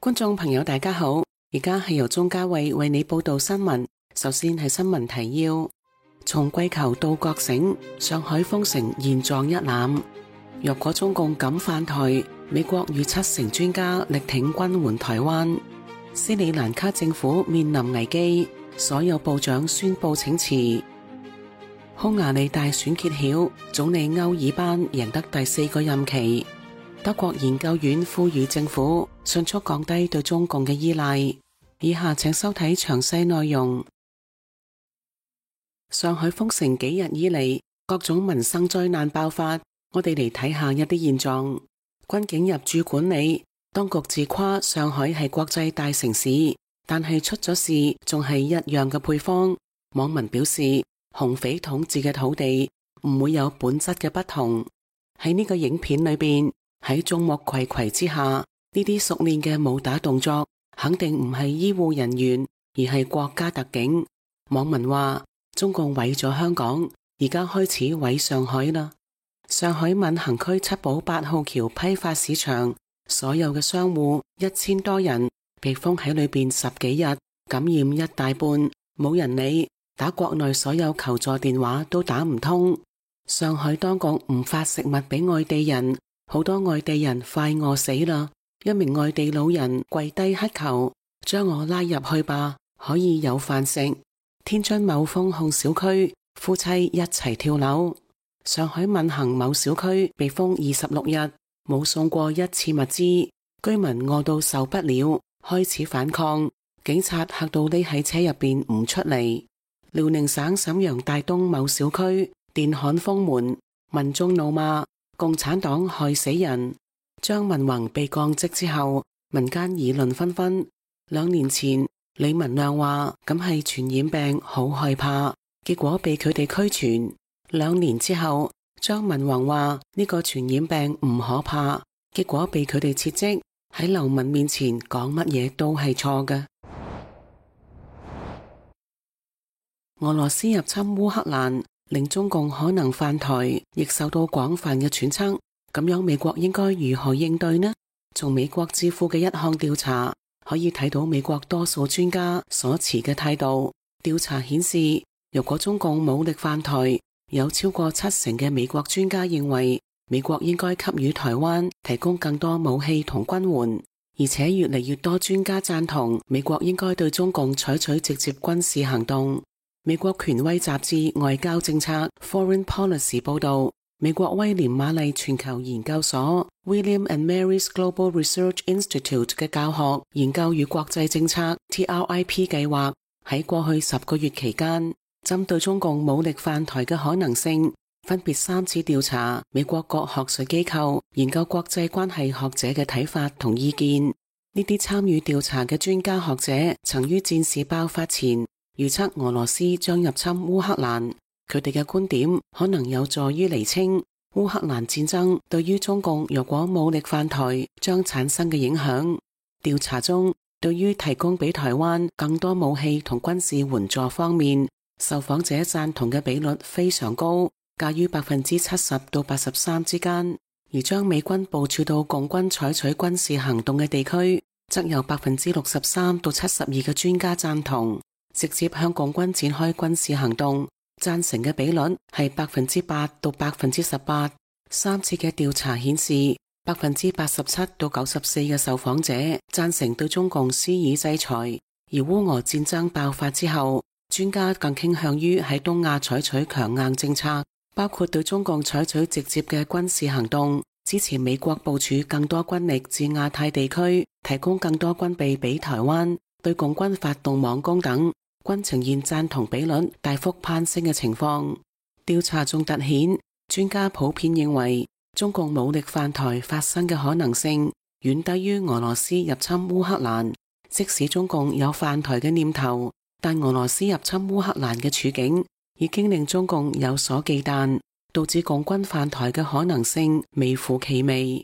觀眾朋友大家好，而家係由鍾嘉慧為你報道新聞。首先係新聞提要：從跪求到覺醒，上海封城現狀一覽。若果中共敢犯台，美國逾70%專家力挺軍援台灣。斯里蘭卡政府面臨危機，所有部長宣布請辭。匈牙利大選揭曉，總理歐爾班贏得第4個任期。德國研究院呼籲政府迅速降低對中共嘅依賴。以下請收睇詳細內容。上海封城幾日以嚟，各種民生災難爆發，我哋嚟睇下一啲現狀。軍警入駐管理，當局自誇上海係國際大城市，但係出咗事仲係一樣嘅配方。網民表示，紅匪統治嘅土地唔會有本質嘅不同。喺呢個影片裏邊，喺眾目睽睽之下，呢啲熟練嘅武打動作肯定唔係醫護人員，而係國家特警。網民話，中共毀咗香港，而家開始毀上海啦。上海閔行區七寶8號橋批發市場，所有嘅商戶1000多人被封喺裏邊10幾日，感染一大半，冇人理，打國內所有求助電話都打唔通。上海當局唔發食物俾外地人，好多外地人快餓死啦。一名外地老人跪低乞求，將我拉入去吧，可以有飯食。天津某封控小區，夫妻一齊跳樓。上海閔行某小區被封26日，冇送過一次物資，居民餓到受不了，開始反抗，警察嚇到匿喺車入邊唔出嚟。遼寧省瀋陽大東某小區電焊封門，民眾怒罵共產黨害死人。張文宏被降職之後，民間議論紛紛。2年前，李文亮話咁係傳染病，好害怕，結果被佢哋驅傳。2年之後，張文宏話呢個傳染病唔可怕，結果被佢哋撤職。喺流民面前講乜嘢都係錯嘅。俄羅斯入侵烏克蘭，令中共可能犯台，亦受到廣泛嘅揣測。咁樣美國應該如何應對呢？從美國智庫嘅一項調查可以睇到美國多數專家所持嘅態度。調查顯示，如果中共武力犯台，有超過70%嘅美國專家認為美國應該給予台灣提供更多武器同軍援，而且越嚟越多專家贊同美國應該對中共採取直接軍事行動。美國權威雜誌《外交政策》Foreign Policy 報道，美國威廉瑪麗全球研究所 William and Mary's Global Research Institute 嘅教學研究與國際政策 TRIP 計劃喺過去10個月期間，針對中共武力犯台嘅可能性，分別3次調查美國各學術機構研究國際關係學者嘅睇法同意見。呢啲參與調查嘅專家學者曾於戰事爆發前預測俄羅斯將入侵烏克蘭，佢哋嘅觀點可能有助於釐清烏克蘭戰爭對於中共若果武力犯台將產生嘅影響。調查中，對於提供俾台灣更多武器同軍事援助方面，受訪者贊同嘅比率非常高，介於70%到83%之間。而將美軍部署到共軍採取軍事行動嘅地區，則有63%到72%嘅專家贊同。直接向共軍展開軍事行動，贊成嘅比率係8%到18%。3次嘅調查顯示，87%到94%嘅受訪者贊成對中共施以制裁。而烏俄戰爭爆發之後，專家更傾向於喺東亞採取強硬政策，包括對中共採取直接嘅軍事行動，支持美國部署更多軍力至亞太地區，提供更多軍備俾台灣，對共軍發動網攻等。均呈現贊同比率大幅攀升嘅情況。調查中凸顯，專家普遍認為中共武力犯台發生嘅可能性遠低於俄羅斯入侵烏克蘭。即使中共有犯台嘅念頭，但俄羅斯入侵烏克蘭嘅處境已經令中共有所忌憚，導致共軍犯台嘅可能性微乎其微。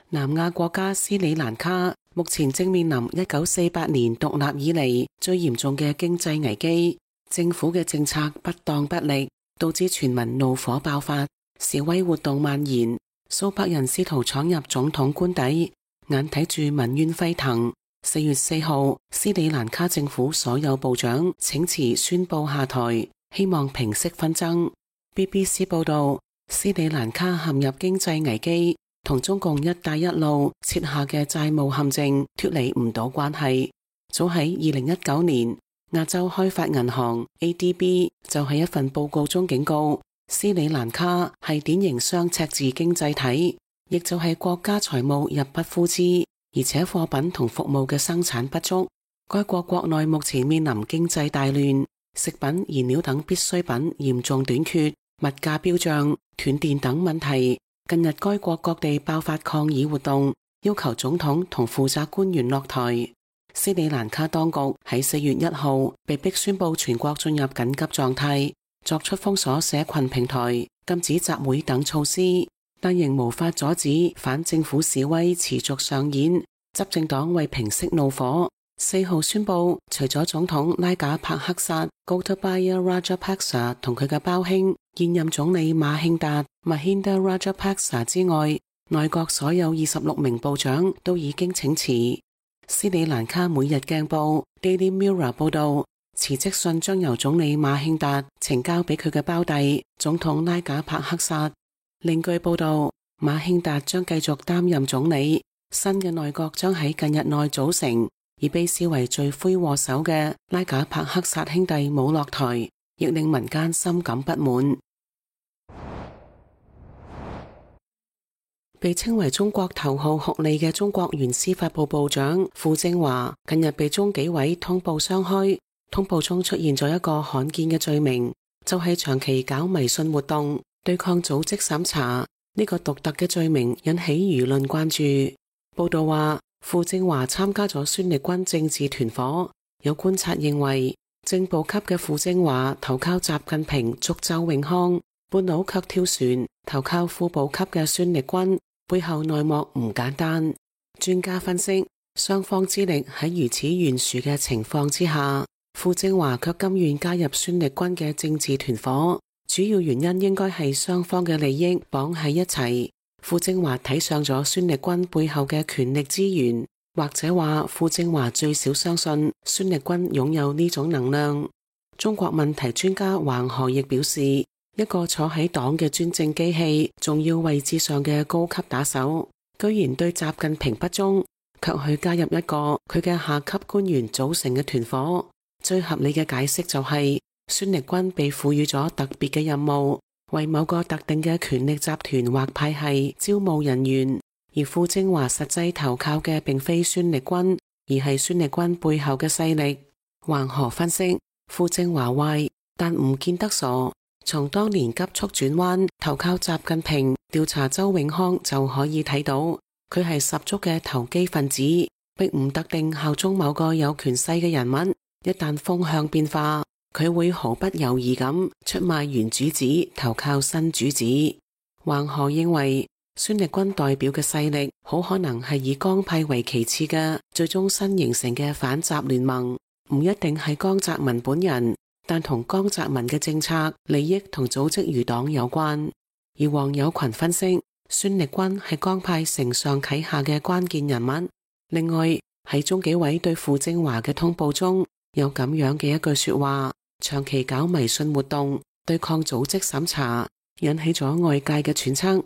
南亞國家斯里蘭卡目前正面臨1948年獨立以嚟最嚴重嘅經濟危機，政府嘅政策不當不力，導致全民怒火爆發，示威活動蔓延。數百人試圖闖入總統官邸，眼睇住民怨沸騰。4月4號，斯里蘭卡政府所有部長請辭宣布下台，希望平息紛爭。BBC 報道，斯里蘭卡陷入經濟危機，同中共一帶一路設下嘅債務陷阱脫離唔到關係。早喺2019年，亞洲開發銀行 ADB 就喺一份報告中警告，斯里蘭卡係典型雙赤字經濟體，亦就係國家財務入不敷支。而且貨品同服務嘅生產不足，該國國內目前面臨經濟大亂，食品、燃料等必需品嚴重短缺，物價飆漲、斷電等問題。近日該國各地爆發抗議活動，要求總統同負責官員落台。斯里蘭卡當局喺4月1號被迫宣布全國進入緊急狀態，作出封鎖社群平台、禁止集會等措施。但仍無法阻止反政府示威持續上演。執政黨為平息怒火，4號宣布，除咗總統拉賈帕克薩 Gotabaya Rajapaksa 同佢嘅胞兄現任總理馬興達 Mahinda Rajapaksa 之外，內閣所有26名部長都已經請辭。斯里蘭卡每日鏡報 Daily Mirror 報道，辭職信將由總理馬興達呈交俾佢嘅胞弟總統拉賈帕克薩。另據報道，馬興達將繼續擔任總理，新嘅內閣將喺近日內組成，而被視為罪魁禍首嘅拉賈帕克薩兄弟冇落台，亦令民間深感不滿。被稱為中國頭號酷吏嘅中國原司法部部長傅政華近日被中紀委通報雙開，通報中出現咗一個罕見嘅罪名，就係長期搞迷信活動，對抗組織審查。呢個獨特嘅罪名引起輿論關注。報道話，傅政華參加咗孫力軍政治團伙，有觀察認為，正部級嘅傅政華投靠習近平續周永康，半路卻跳船投靠副部級嘅孫力軍，背後內幕唔簡單。專家分析，雙方資歷喺如此懸殊嘅情況之下，傅政華卻甘願加入孫力軍嘅政治團伙。主要原因應該係雙方嘅利益綁喺一齊。傅政華睇上咗孫力軍背後嘅權力資源，或者話傅政華最少相信孫力軍擁有呢種能量。中國問題專家黃河亦表示，一個坐喺黨嘅專政機器重要位置上嘅高級打手，居然對習近平不忠，卻去加入一個佢嘅下級官員組成嘅團伙。最合理嘅解釋就係，孫力軍被賦予咗特別嘅任務，為某個特定嘅權力集團或派系招募人員，而傅政華實際投靠嘅並非孫力軍，而係孫力軍背後嘅勢力。黃河分析，傅政華壞，但唔見得傻。從當年急速轉彎投靠習近平調查周永康就可以睇到，佢係十足嘅投機分子，並唔特定效忠某個有權勢嘅人物。一旦風向變化，佢會毫不猶豫咁出賣原主子，投靠新主子。黃河認為，孫力軍代表嘅勢力好可能係以江派為其次嘅最終新形成嘅反習聯盟，唔一定係江澤民本人，但同江澤民嘅政策、利益同組織餘黨有關。而黃友群分析，孫力軍係江派承上啟下嘅關鍵人物。另外，喺中紀委對傅政華嘅通報中，有咁樣嘅一句說話：長期搞迷信活動，對抗組織審查，引起咗外界嘅揣測。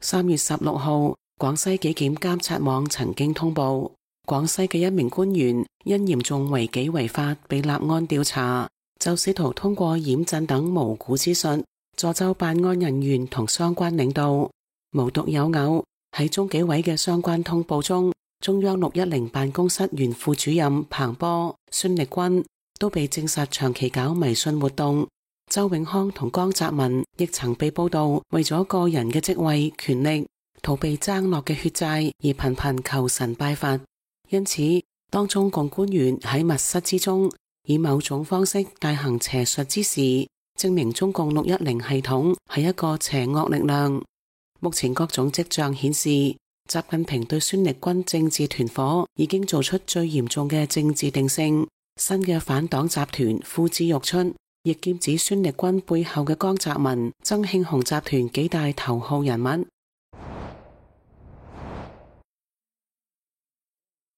3月16號，廣西紀檢監察網曾經通報，廣西嘅一名官員因嚴重違紀違法被立案調查，就試圖通過掩鎮等無估之術，助紂辦案人員同相關領導。無獨有偶，喺中紀委嘅相關通報中，中央610辦公室原副主任彭波、孫力軍都被證實長期搞迷信活動。周永康同江澤民亦曾被報道為咗個人嘅職位、權力，逃避爭落嘅血債而頻頻求神拜佛。因此，當中共官員喺密室之中以某種方式大行邪術之時，證明中共610系統係一個邪惡力量。目前各種跡象顯示，習近平對孫力軍政治團伙已經做出最嚴重嘅政治定性。新嘅反黨集團呼之欲出，亦劍指孫力軍背後嘅江澤民、曾慶紅集團幾大頭號人物。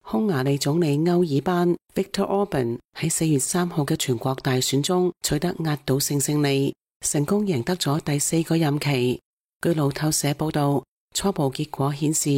匈牙利總理歐爾班 Viktor Orban 喺4月3號嘅全國大選中取得壓倒性勝利，成功贏得咗第4個任期。據路透社報道，初步結果顯示，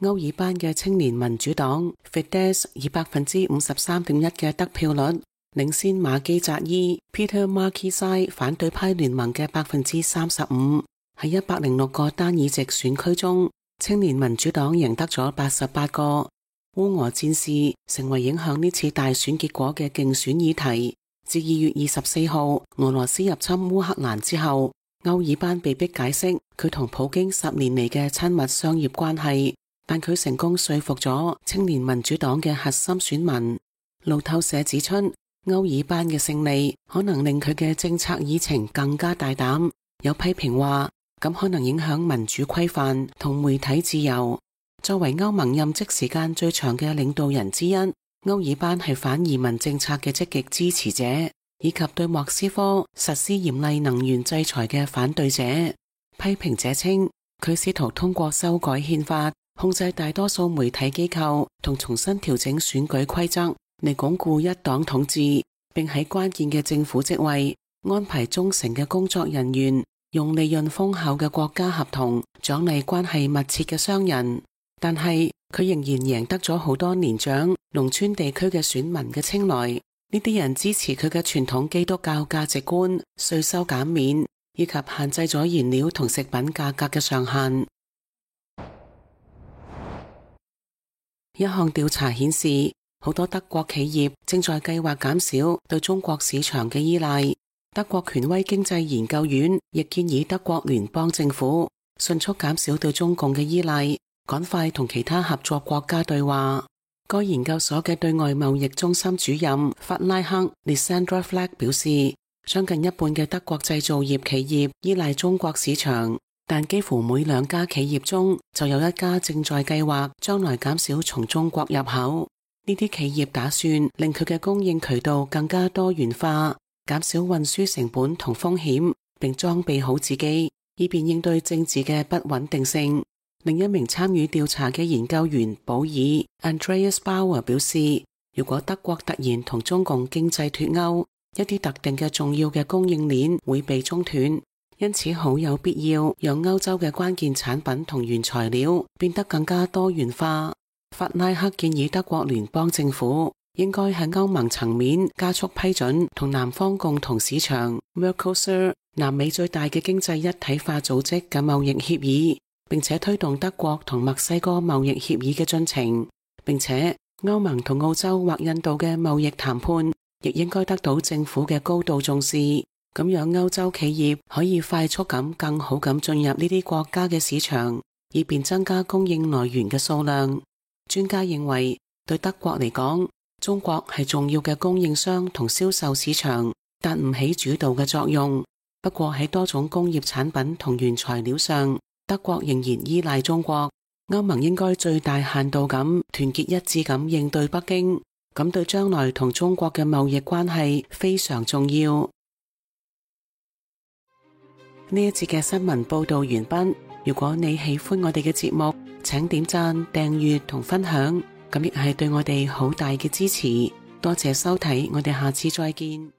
歐爾班嘅青年民主黨 Fidesz 以 53.1% 嘅得票率領先馬基扎伊 Peter Márkizai 反對派聯盟嘅 35%。喺106個單議席選區中，青年民主黨贏得咗88個。烏俄戰事成為影響呢次大選結果嘅競選議題。自2月24號俄羅斯入侵烏克蘭之後，歐爾班被迫解釋佢同普京10年嚟嘅親密商業關係，但佢成功說服咗青年民主黨嘅核心選民。路透社指出，歐爾班嘅勝利可能令佢嘅政策議程更加大膽，有批評話咁可能影響民主規範同媒體自由。作為歐盟任職時間最長嘅領導人之一，歐爾班係反移民政策嘅積極支持者，以及對莫斯科實施嚴厲能源制裁嘅反對者。批評者稱，佢試圖通過修改憲法，控制大多數媒體機構同重新調整選舉規則，嚟鞏固一黨統治，並喺關鍵嘅政府職位安排忠誠嘅工作人員，用利潤豐厚嘅國家合同獎勵關係密切嘅商人。但係佢仍然贏得咗好多年長農村地區嘅選民嘅青睞，呢啲人支持佢嘅傳統基督教價值觀、稅收減免以及限制咗燃料同食品價格嘅上限。一項調查顯示，好多德國企業正在計劃減少對中國市場嘅依賴。德國權威經濟研究院亦建議德國聯邦政府迅速減少對中共嘅依賴，趕快同其他合作國家對話。該研究所嘅對外貿易中心主任法拉克 Lissandra Fleck 表示，將近一半嘅德國製造業企業依賴中國市場，但幾乎每2家企業中就有1家正在計劃將來減少從中國入口。呢啲企業打算令佢嘅供應渠道更加多元化，減少運輸成本同風險，並裝備好自己，以便應對政治嘅不穩定性。另一名參與調查嘅研究員保爾 Andreas Bauer 表示，如果德國突然同中共經濟脫鈎，一啲特定嘅重要嘅供應鏈會被中斷，因此好有必要讓歐洲嘅關鍵產品同原材料變得更加多元化。法拉克建議德國聯邦政府應該喺歐盟層面加速批准同南方共同市場 Mercosur 南美最大嘅經濟一體化組織嘅貿易協議，並且推動德國同墨西哥貿易協議嘅進程，並且歐盟同澳洲或印度嘅貿易談判亦應該得到政府嘅高度重視，咁樣歐洲企業可以快速咁更好咁進入呢啲國家嘅市場，以便增加供應來源嘅數量。專家認為，對德國嚟講，中國係重要嘅供應商同銷售市場，但唔起主導嘅作用。不過喺多種工業產品同原材料上，德國仍然依賴中國。歐盟應該最大限度咁團結一致咁應對北京，咁對將來同中國嘅貿易關係非常重要。呢一節嘅新聞報道完畢。如果你喜歡我哋嘅節目，請點讚、訂閱同分享，咁亦係對我哋好大嘅支持。多謝收睇，我哋下次再見。